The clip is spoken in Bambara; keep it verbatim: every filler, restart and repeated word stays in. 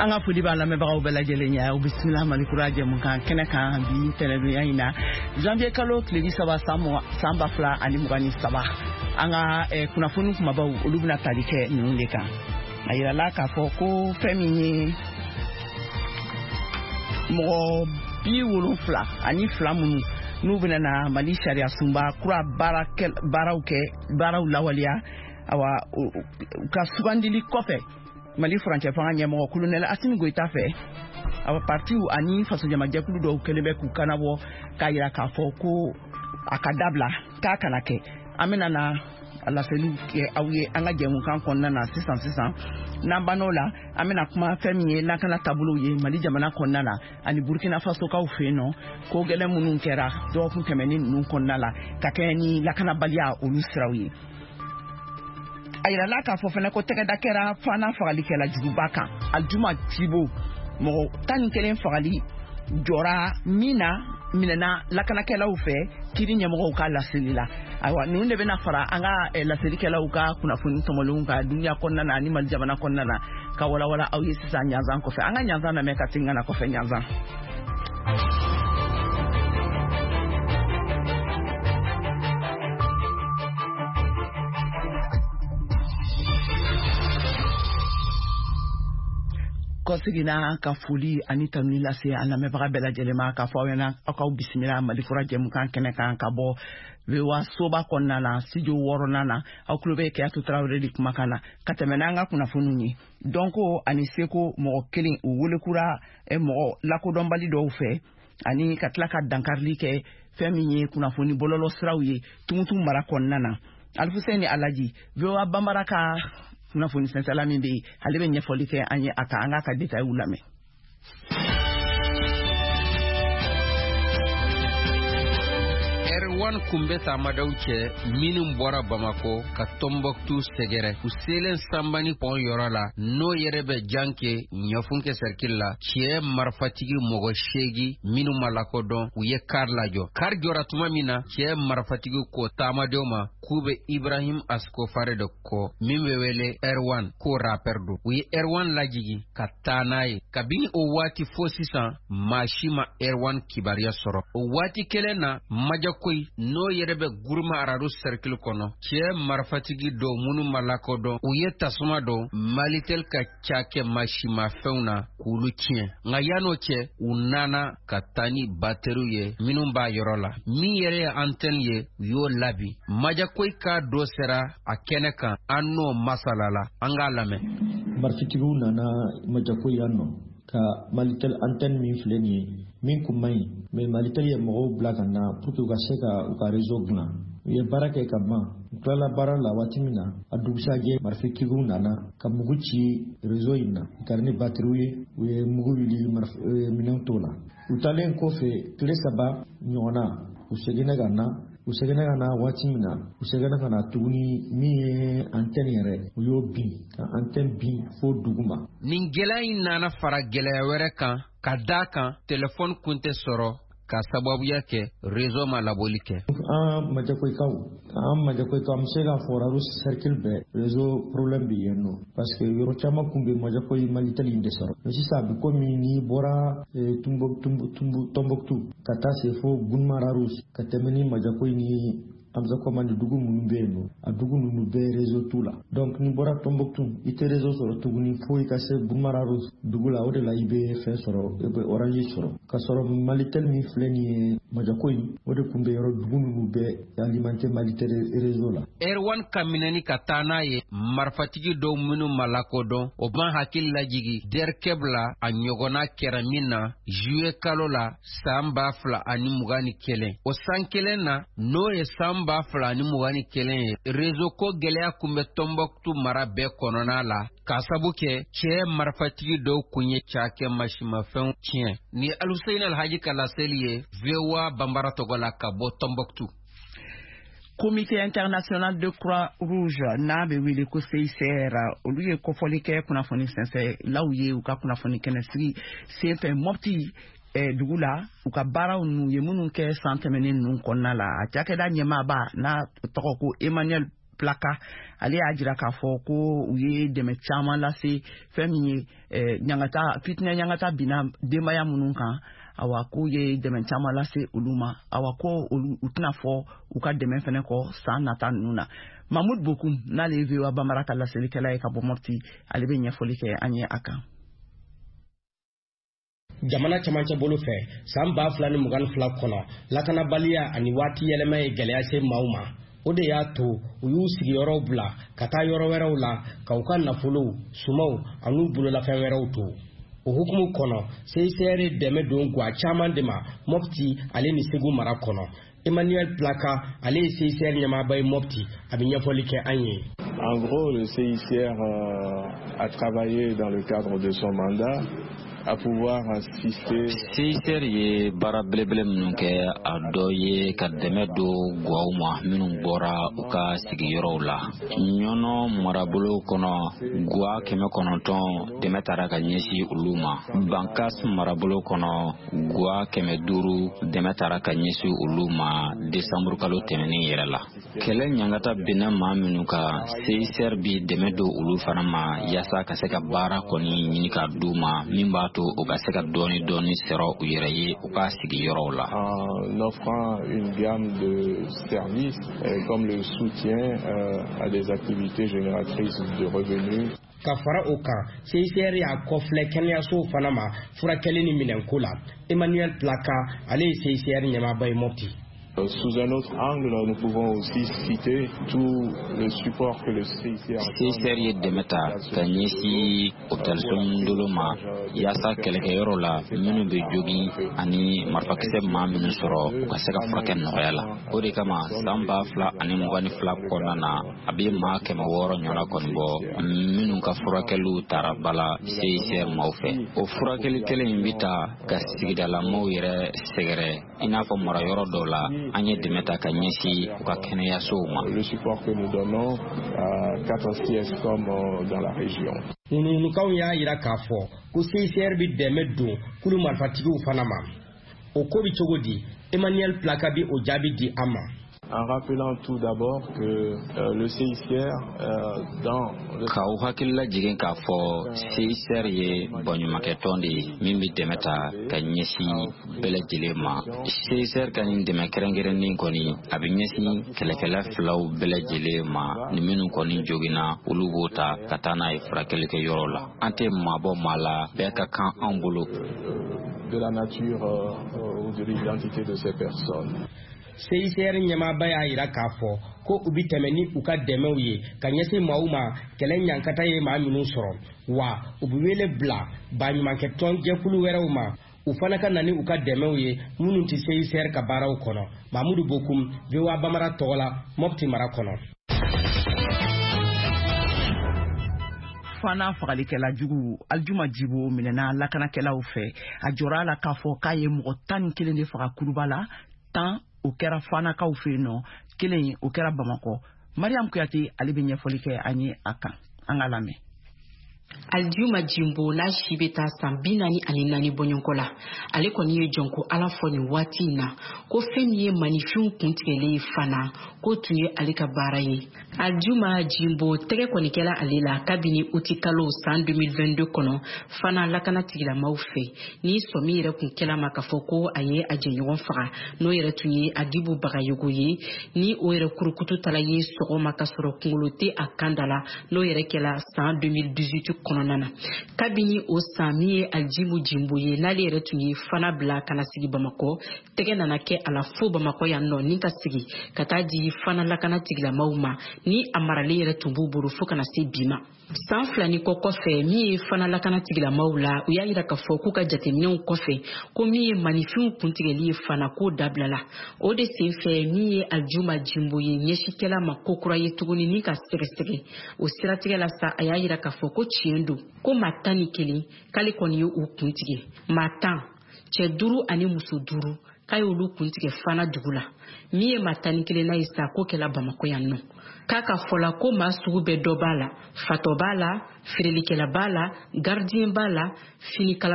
An ka foli b'a lamɛnbagaw bɛɛ lajɛlen ye. Aw bisimila Malikura jɛmukan kɛnɛ kan bi tɛnɛdonya in na, janvier kalo tile bi saba san san ba fila ani mugan ni saba. An ka kunnafoni kumabaw, olu bɛna tali kɛ ninnu de kan. A yirala k'a fɔ ko fɛn min ye mɔgɔ bi wolonfila ani fila minnu n'u bɛna na Mali sariya sunba kura baaraw kɛ, baaraw lawaleya, awa u ka sugandili kɔfɛ Mali furancɛ fanga ɲɛmɔgɔ Kolonɛli Asimi Goyita fɛ, awa partiw ani fasojamajɛkulu dɔw kɛlen bɛ k'u kanabɔ k'a yira k'a fɔ ko a ka dabila, k'a kana kɛ. An bɛna na laseliw kɛ aw ye an ka jɛmukan kɔnɔna na sisan sisan. N'an bann'o la, an bɛna kuma fɛn min ye lakana taabolow ye Mali jamana kɔnɔna la ani Burkina Fasokaw fɛ yen nɔ, ko gɛlɛn minnu kɛra dɔgɔkun tɛmɛnen ninnu kɔnɔna la ka kɛ ni lakanabaliya olu siraw ye. A yirala k'a fɔ fana ko tɛgɛda kɛra fana fagalikɛla juguba kan Aljuma Tibo, mɔgɔ tan ni kelen fagali jɔra min na minɛna lakanakɛlaw fɛ kiri ɲɛmɔgɔw ka laseli la. Ayiwa, ninnu de bɛna fara an ka laselikɛlaw ka kunnafoni tɔmɔlenw kan duniya kɔnɔna na ani Mali jamana kɔnɔna na ka walawala aw ye sisan ɲanzan kɔfɛ. An ka ɲanzan lamɛn ka segin ka na kɔfɛ ɲanzan. Kɔseginna ka foli ani tanuni lase an lamɛnbaga bɛɛ lajɛlen ma k'a fɔ aw ɲɛna aw k'aw bisimila Malikura jɛmukan kɛnɛ kan ka bɔ V O A soba kɔnɔna na, studio wɔɔrɔnan na. Aw tulo bɛ Keyatu Tarawele de kumakan na ka tɛmɛ n'an ka kunnafoniw ye. Dɔnko ani seko mɔgɔ kelen u welekura mɔgɔ lakodɔnbali dɔw fɛ ani ka tila ka dankarili kɛ fɛn min ye kunnafoni bɔlɔlɔ siraw ye Tumutu mara kɔnɔna na. Alifuseni Alaji, V O A Banbara ka kunnafoni sɛnsɛla min bɛ yen, ale bɛ ɲɛfɔli kɛ an ye a kan. An k'a ka détails lamɛn. Erwan kun bɛ taamadenw cɛ minnu bɔra Bamako ka Tombouctou sɛgɛrɛ. U selen Sanbani pɔn yɔrɔ la, n'o yɛrɛ bɛ Janke Ɲafunke cercle la, cɛ marifatigi mɔgɔ seegin minnu ma lakodɔn, u ye kar lajɔ. Kar jɔra tuma min na, cɛ marifatigi ko taamadenw ma k'u bɛ Ibrahim Ascofare de kɔ min bɛ wele Erwan, ko rapper don. U ye Erwan lajigi ka taa n'a ye. Kabini o waati fo sisan, maa si ma Erwan kibaruya sɔrɔ. O waati kelen na, Majakoyi n'o yɛrɛ bɛ Guruma Aradu cercle kɔnɔ, cɛ marifatigi dɔw minnu ma lakodɔn, u ye tasuma don Malitel ka cakɛ masimafɛnw na k'olu tiɲɛ. Nka yann'o cɛ, u nana ka taa ni bateriw ye minnu b'a yɔrɔ la. Min yɛrɛ ye antenne ye, u y'o labi. Majakoyi ka dɔ sera a kɛnɛ kan, an n'o masala la, an k'a lamɛn. Marifatigiw nana Majakoyi yan nɔ ka Malitel antenne min filɛ nin ye, min kun man ɲi, mais Malitel ye mɔgɔw bila ka na pour que u ka se ka u ka réseau dilan. U ye baara kɛ ka ban, u tilala baara la waati min na, a dugusajɛ marifatigiw nana ka mugu ci réseau in na, u taara ni batteriw ye, u ye mugu wuli minɛnw t'o la. U taalen kɔfɛ tile saba ɲɔgɔnna, u seginna ka na. U seginna ka na waati min na, u seginna ka na tuguni min ye antenne yɛrɛ, u y'o bin, ka antenne bin fo duguma. Nin gɛlɛya in nana fara gɛlɛya wɛrɛ kan ka d'a kan telefɔni kun tɛ sɔrɔ ka sababuya kɛ réseau ma labɔli kɛ. An Majakoyikaw, an Majakoyikaw, an bɛ se k'a fɔ Raro cercle bɛɛ réseau problème bɛ yen nɔ, parce que yɔrɔ caman kun bɛ Majakoyi Malitel in de sɔrɔ. Mais sisan a bɛ komi n'i bɔra Tombouctou ka taa se fo Gourma Rharous ka tɛmɛ ni Majakoyi ni Hamza Komani dugu minnu bɛ yen nɔ, a dugu ninnu bɛɛ réseau t'u la. Donc n'i bɔra Tombouctou, i tɛ réseau sɔrɔ tuguni fo i ka se Gourma Rharous dugu la, o de la i bɛ fɛn sɔrɔ, i bɛ Orange sɔrɔ. K'a sɔrɔ Malitel min filɛ nin ye Majakoyi, o de tun bɛ yɔrɔ dugu ninnu bɛɛ alimenter Malitel réseau la. Erwan ka minɛni ka taa n'a ye marifatigi dɔw minnu ma lakodɔn, o b'an hakili lajigi Derkeb la, a ɲɔgɔnna kɛra min na juillet kalo la san ba fila ani mugan ni kelen. O san kelen na, n'o ye san ba fila ni mugan ni kelen ye, réseau ko gɛlɛya kun bɛ Tombouctou mara bɛɛ kɔnɔna la k'a sabu kɛ cɛ marifatigi dɔw kun ye cakɛ masimafɛnw tiɲɛ. Ni Aluseyini Alhaji ka laseli ye V O A Banbara tɔgɔ la ka bɔ Tombouctou. Comité international de Croix-Rouge n'a bɛ wele ko C I C R, olu ye kɔfɔli kɛ kunnafoni sɛnsɛnlaw ye u ka kunnafoni kɛnɛsigi senfɛ Mopti dugu la, u ka baaraw n'u ye minnu kɛ san tɛmɛnen ninnu kɔnɔna la. A cakɛda ɲɛmaaba n'a tɔgɔ ko Emmanuel Plaka, ale y'a jira k'a fɔ ko u ye dɛmɛ caman lase fɛn min ye ɲangata fitinɛ ɲangata binna denbaya minnu kan, awa k'u ye dɛmɛ caman lase olu ma, awa ko olu u tɛna fɔ u ka dɛmɛ fɛnɛ kɔ san nata ninnu na. Mahmoud Bokum n'ale ye V O A Bambara ka laselikɛla ye ka bɔ Mopti, ale bɛ ɲɛfɔli kɛ an ye a kan. Jamana camancɛ bolo fɛ san ba fila ni mugan ni fila kɔnɔ, lakanabaliya ani waati yɛlɛma ye gɛlɛya se maaw ma. O de y'a to u y'u sigiyɔrɔw bila ka taa yɔrɔ wɛrɛw la ka u ka nafolow, sumaw an'u bololafɛn wɛrɛw to. O hukumu kɔnɔ, C I C R ye dɛmɛ don gwa caman de ma Mopti ale ni Segu mara kɔnɔ. Emmanuel Plaka, ale ye C I C R ɲɛmaaba ye Mopti, a bɛ ɲɛfɔli kɛ an ye. En gros, le C I C R a travaillé dans le cadre de son mandat à pouvoir assister. C I C R ye baara belebele minnu kɛ, a dɔ ye ka dɛmɛ don gwaw ma minnu bɔra u ka sigiyɔrɔw la. Ɲɔnɔ marabolo kɔnɔ, gwa kɛmɛ kɔnɔntɔn dɛmɛ taara ka ɲɛsin olu ma. Bankas marabolo kɔnɔ, gwa kɛmɛ duuru dɛmɛ taara ka ɲɛsin olu ma desanburu kalo tɛmɛnen yɛrɛ la. Kɛlɛ ɲangata binna maa minnu kan, C I C R bi dɛmɛ don olu fana ma yaasa ka se ka baara kɔni ɲini ka d'u ma min b'a to u ka se ka dɔɔni dɔɔni sɔrɔ u yɛrɛ ye u ka sigiyɔrɔw la. En offrant une gamme de services comme le soutien à des activités génératrices de revenus. Ka fara o kan, C I C R y'a kɔfilɛ kɛnɛyasow fana ma furakɛli ni minɛnko la. Emmanuel Plaka, ale ye C I C R ɲɛmaaba ye Mopti. Sous un autre angle, nous pouvons aussi citer tout le support que le C I C R C I C R ye dɛmɛ ta ka ɲɛsin hôpitalso dolo ma yaasa kɛlɛkɛyɔrɔ la minnu bɛ jogin ani marifakisɛ maa minnu sɔrɔ u ka se ka furakɛ nɔgɔya la. O de kama san ba fila ani mugan ni fila kɔnɔna na, a bɛ maa kɛmɛ wɔɔrɔ ɲɔgɔnna kɔni bɔ minnu ka furakɛliw taara ba la C I C R maaw fɛ. O furakɛli kelen in bɛ ta ka sigidalamaaw yɛrɛ sɛgɛrɛ, i n'a fɔ marayɔrɔ dɔw la an ye dɛmɛ ta ka ɲɛsin u ka kɛnɛyasow ma. Le support que nous donnons à quatre C S C O M dans la région. Ŋunuŋunukanw y'a jira k'a fɔ ko C I C R bɛ dɛmɛ don kulu marifatigiw fana ma. O ko bɛ cogo di? Emmanuel Plaka bɛ o jaabi di an ma. En rappelant tout d'abord que euh, le C I C R euh, dans le... K'aw hakili lajigin k'a fɔ C I C R ye baɲumankɛtɔn de ye min bɛ dɛmɛ ta ka ɲɛsin bɛɛ lajɛlen ma. C I C R ka nin dɛmɛ kɛrɛnkɛrɛnnen kɔni, a bɛ ɲɛsin kɛlɛkɛla filaw bɛɛ lajɛlen ma, ni minnu kɔni joginna olu b'o ta ka taa n'a ye furakɛlikɛyɔrɔ la. An tɛ maabɔ maa la, bɛɛ ka kan anw bolo. De la nature euh, ou de l'identité de ces personnes. C I C R ɲɛmaaba y'a jira k'a fɔ ko u bɛ tɛmɛ ni u ka dɛmɛw ye ka ɲɛsin maaw ma kɛlɛ ɲankata ye maa minnu sɔrɔ, wa u bɛ wele bila baɲumankɛtɔn jɛkulu wɛrɛw ma u fana ka na ni u ka dɛmɛw ye minnu tɛ C I C R ka baaraw kɔnɔ. Mahmoud Bokum, V O A Bambara tɔgɔ la, Mopti mara kɔnɔ. Fana fagalikɛla jugu Aljuma Jibo minɛna lakanakɛlaw fɛ. A jɔra a la k'a fɔ k'a ye mɔgɔ tan ni kelen de faga Kuluba la, tan o kɛra Fanakaw fɛ yen nɔ, kelen o kɛra Bamakɔ. Mariam Kuyate ale bɛ ɲɛfɔli kɛ an ye a kan, an ka lamɛn. Aljuma Jimbo n'a si bɛ taa san bi naani ani naani bɔɲɔgɔnko la, ale kɔni ye jɔnko Ala fɔ nin waati in na ko fɛn min ye maninfinw kuntigɛlen ye fana k'o tun ye ale ka baara ye. Aljuma Jimbo tɛgɛ kɔni kɛla ale la kabini uti kalo san deux mille vingt-deux kɔnɔ fana lakana tigilamaw fɛ, ni sɔmi yɛrɛ kun kɛla ma k'a fɔ ko a ye a jɛɲɔgɔn faga, n'o yɛrɛ tun ye Agibu Bagayogo ye, ni o yɛrɛ kurukutu tala ye sɔgɔma ka sɔrɔ kunkolo tɛ a kan da la, n'o yɛrɛ kɛla san deux mille dix-huit kɔnɔna na. Kabini o san min ye Aljimu Jimbo ye, n'ale yɛrɛ tun ye fana bila ka na sigi Bamakɔ, tɛgɛ nana kɛ a la fo Bamakɔ yan nɔ ni ka sigi ka taa di fana lakana tigilamaw ma, ni a maralen yɛrɛ tun b'u bolo fo ka na se bi ma. San fila ni kɔ kɔfɛ, min ye fana lakana tigilamaw la, u y'a jira k'a fɔ k'u ka jateminɛw kɔfɛ ko min ye maninfinw kuntigɛli ye fana k'o dabilala. O de senfɛ min ye Aljuma Jimbo ye ɲɛsikɛla ma ko kura ye tuguni ni ka sɛgɛsɛgɛ. O siratigɛ la sa, a y'a jira k'a fɔ ko tiɲɛ don ko maa tan ni kelen k'ale kɔni ye u kuntigɛ, maa tan, cɛ duuru ani muso duuru, k'a y'olu kuntigɛ fana dugu la. Min ye maa tan ni kelenna ye sa, k'o kɛla Bamakɔ yan nɔ. K'a ka fɔ la ko maa sugu bɛɛ dɔ b'a la, fatɔ b'a la, feerelikɛla b'a la, gardien b'a la, finikala